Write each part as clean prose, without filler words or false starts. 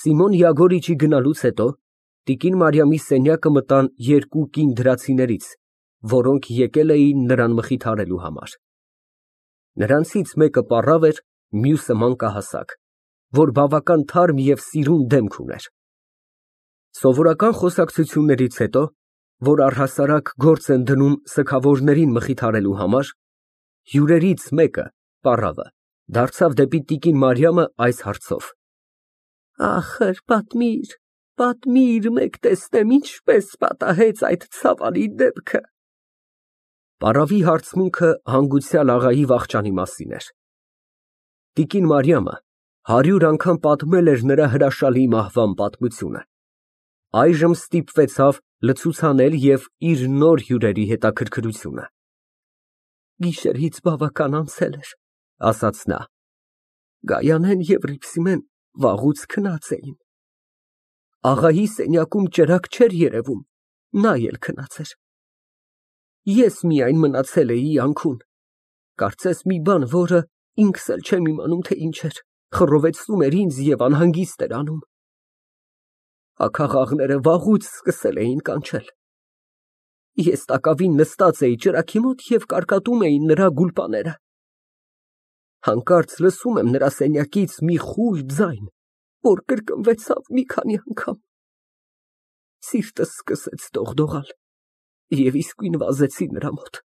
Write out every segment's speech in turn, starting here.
Սիմոն Յագորիչի գնալուց հետո տիկին Մարիամի սենյակը մտան երկու կին դրացիներից, որոնք եկել էին նրան մխիթարելու համար. նրանցից մեկը պառավ էր, մյուսը մանկահասակ, որ բավական թարմ և սիրուն դեմք ուներ։ Սովորական խոսակցություններից հետո, որ առհասարակ գործ են դնում սգավորներին մխիթարելու համար, հյուրերից մեկը, պառավը, դարձավ դեպի տիկին Մարիամը այս հարցով. Ախր, պատմիր, մեկ տեսնեմ, ինչպես պատահեց այդ ցավալի դեպքը։ Պառավի հարցմունքը հանգուցյալ աղայի վախճանի մասին էր։ Տիկին Մարիամը 100 անգամ պատմել էր նրա հրաշալի մահվան պատմությունը, այժմ ստիպվեցավ լցուցանել և իր նոր հյուրերի հետաքրքրությունը։ Գիշերից բավական անցել էր, ասաց նա, Գայանեն և Ռիփսիմեն վաղուց քնած էին։ Աղայի սենյակում ճրագ չէր երևում, նա էլ քնած էր։ Ես միայն մնացել էի անքուն, կարծես մի բան, որը ինքս էլ չեմ իմանում, թե ինչ էր, խռովեցնում էր ինձ և անհանգիստ էր անում։ Աքաղաղները վաղուց սկսել էին կանչել։ Ես տակավին նստած էի ճրագի մոտ և կարկատում էին նրա գուլպաները։ Հանկարծ լսում եմ նրա սենյակից մի խուլ ձայն, որ կրկնվեցավ մի քանի անգամ։ Սիրտս սկսեց դողդողալ և իսկույն վազեցի նրա մոտ։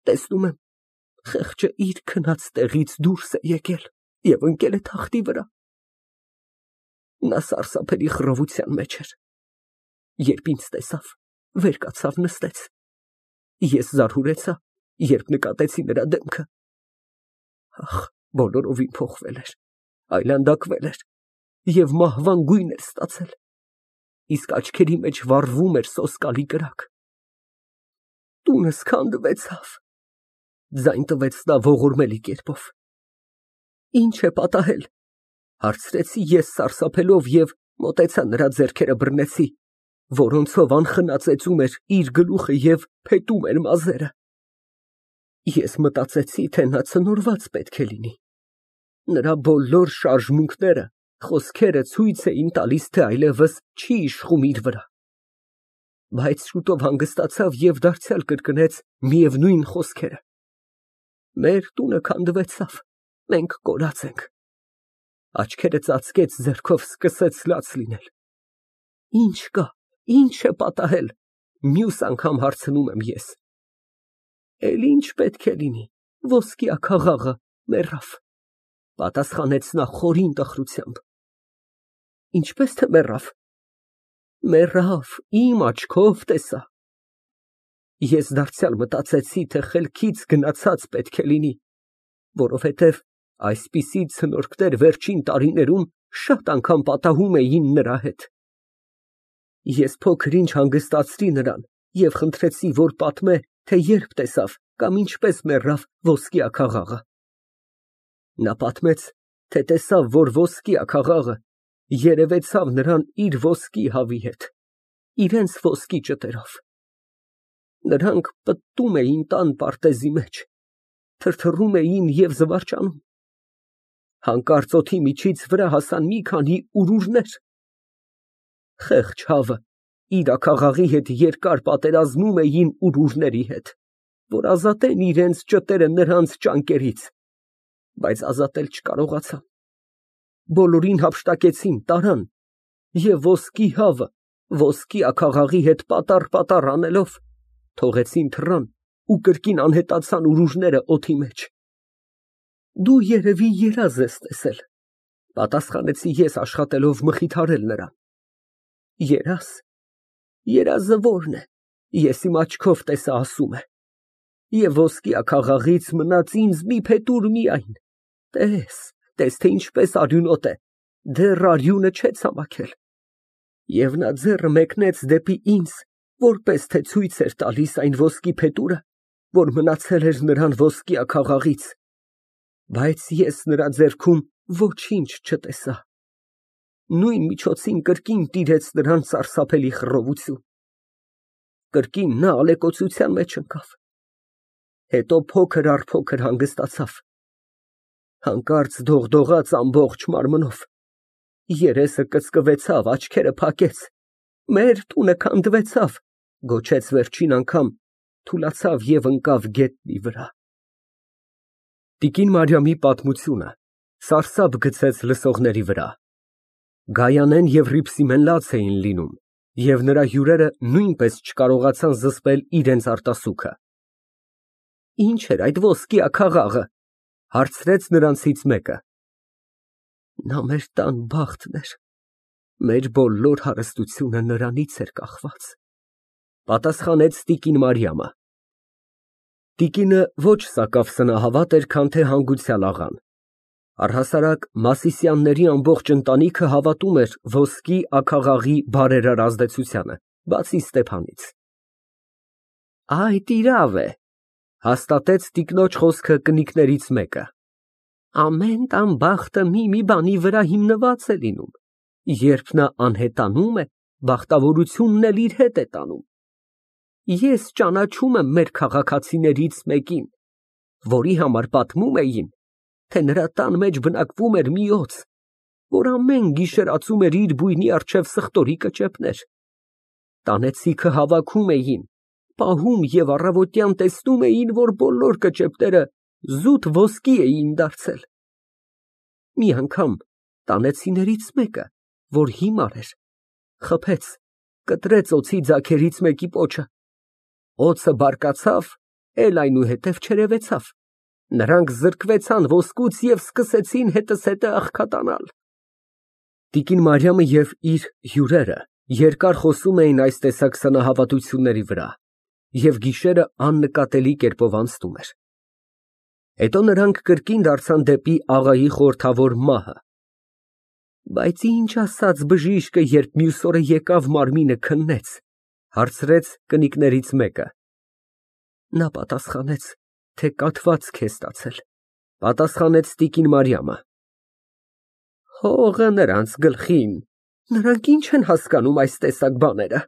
Տեսնում եմ, խեղճը իր քնած տեղից դուրս է եկել և ընկել է թախտի վրա։ Նա սարսափելի խռովության մեջ էր։ Երբ ինձ տեսավ, վեր կացավ, նստեց։ Ես զարհուրեցա, երբ նկատեցի նրա դեմքը։ Ահ, բոլորովին փոխվել էր, այլանդակվել էր և մահվան գույն էր ստացել, իսկ աչքերի մեջ վառվում էր սոսկալի կրակ։ Տունս քանդվեցավ, ձայն տվեց նա ողորմելի կերպով։ Ինչ է պատահել, հարցրեցի ես սարսափելով և մոտեցա նրա ձեռքերը բռնեցի, որոնցով անխնա ծեծում էր իր գլուխը և փետում էր մազերը։ Ես մտածեցի, թե նա ցնորված պետք է լինի։ Նրա բոլոր շարժմունքները, խոսքերը ցույց էին տալիս, թե այլևս չի իշխում իր վրա։ Բայց շուտով հանգստացավ և դարձյալ կրկնեց միևնույն խոսքերը. Մեր տունը քանդվեցավ, մենք կորած ենք։ Աչքերը ծածկեց, ձեռքով սկսեց լաց լինել։ Ինչ կա, ինչ է պատահել, մյուս անգամ հարցնում եմ ես։ Էլ ինչ պետք է լինի, ոսկի աքաղաղը մեռավ, պատասխանեց նա խորին տխրությամբ։ Ինչպես թե մեռավ։ Մեռավ, իմ աչքով տեսա։ Ես դարձյալ մտածեցի, թե խելքից գնացած պետք է լինի, որովհետև այսպիսի ցնորքներ վերջին տարիներում շատ անգամ պատահում էին նրա հետ։ Ես փոքր ինչ հանգստացրի նրան և խնդրեցի, որ պատմե, թե երբ տեսավ կամ ինչպես մեռավ ոսկի աքաղաղը։ Նա պատմեց, թե տեսավ, որ ոսկի աքաղաղը երևեցավ նրան իր ոսկի հավի հետ, իրենց ոսկի ճտերով։ Նրանք պտտում էին տան պարտեզի մեջ, թրթռում էին և զվարճանում։ Հանկարծ օդի միջից վրա հասան մի քանի ուրուրներ։ Խեղճ հավը իր աքաղաղի հետ երկար պատերազմում էին ուրուրների հետ, որ ազատեն իրենց ճտերը նրանց ճանկերից, բայց ազատել չկարողացան։ Բոլորին հափշտակեցին, տարան և ոսկի հավը ոսկի աքաղաղի հետ պատառ անելով, թողեցին թռան ու կրկին անհետացան ուրուրները օդի մեջ։ Դու երևի երազ ես տեսել, պատասխանեցի ես աշխատելով մխիթարել նրան։ Երազ։ Երազը ո՞րն է, ես իմ աչքով տեսա ասում է։ Եվ ոսկի աքաղաղից մնաց ինձ մի փետուր միայն, տես, թե ինչպես արյունոտ է, դեռ արյունը չէ ցամաքել։ Եվ նա ձեռը մեկնեց դեպի ինձ, որպես թե ցույց էր տալիս այն ոսկի փետուրը, որ մնացել էր նրան ոսկի աքաղաղից, բայց ես նրա ձեռքում ոչինչ չտեսա։ Նույն միջոցին կրկին տիրեց նրան սարսափելի խռովություն։ Կրկին նա ալեկոծության մեջ ընկավ, հետո փոքր առ փոքր հանգստացավ, հանկարծ դողդողաց ամբողջ մարմնով, երեսը կծկվեցավ, աչքերը փակեց, մեր տունը քանդվեցավ, գոչեց վերջին անգամ, թուլացավ և ընկավ գետնի վրա։ Տիկին Մարիամի պատմությունը սարսափ գցեց լսողների վրա։ Գայանեն և Հռիփսիմեն լաց էին լինում, և նրա հյուրերը նույնպես չկարողացան զսպել իրենց արտասուքը։ Ի՞նչ էր այդ ոսկի աքաղաղը, հարցրեց նրանցից մեկը։ Նա մեր տան բախտն էր, մեր բոլոր հարստությունը նրանից էր կախված, պատասխանեց տիկին Մարիամը։ Տիկինը ոչ սակավ սնահավատ էր, քան թե հանգուցյալ աղան։ Առհասարակ Մասիսյանների ամբողջ ընտանիքը հավատում էր ոսկի աքաղաղի բարերար ազդեցությանը, բացի Ստեփանից։ Այդ իրավ է, հաստատեց տիկնոջ խոսքը կնիկներից մեկը։ Ամեն տան բախտը մի բանի վրա հիմնված է լինում, երբ նա անհետանում է, բախտավորությունն էլ իր հետ է տանում։ Ես ճանաչում եմ մեր քաղաքացիներից մեկին, որի համար պատմում էին, թե նրա տան մեջ բնակվում էր մի օձ, որ ամեն գիշեր ածում էր իր բույնի առջև սխտորի կճեպներ։ Տանեցիքը հավաքում էին, պահում և առավոտյան տեսնում էին, որ բոլոր կճեպները զուտ ոսկի էին դարձել։ Մի անգամ տանեցիներից մեկը, որ հիմար էր, խփեց, կտրեց օձի ձագերից մեկի պոչը։ Օձը բարկացավ, էլ այնուհետև չերևեցավ։ Նրանք զրկվեցան ոսկուց և սկսեցին հետզհետե աղքատանալ։ Տիկին Մարիամը և իր հյուրերը երկար խոսում էին այս տեսակ սնահավատությունների վրա, և գիշերը աննկատելի կերպով անցնում էր։ Հետո նրանք կրկին դարձան դեպի աղայի խորհրդավոր մահը։ Բայց ինչ ասաց բժիշկը, երբ մյուս օրը եկավ մարմինը քննեց, հարցրեց կնիկներից մեկը։ Նա պատասխանեց, թե կաթվածք է ստացել, պատասխանեց տիկին Մարիամը։ Հողը նրանց գլխին, նրանք ինչ են հասկանում այս տեսակ բաները։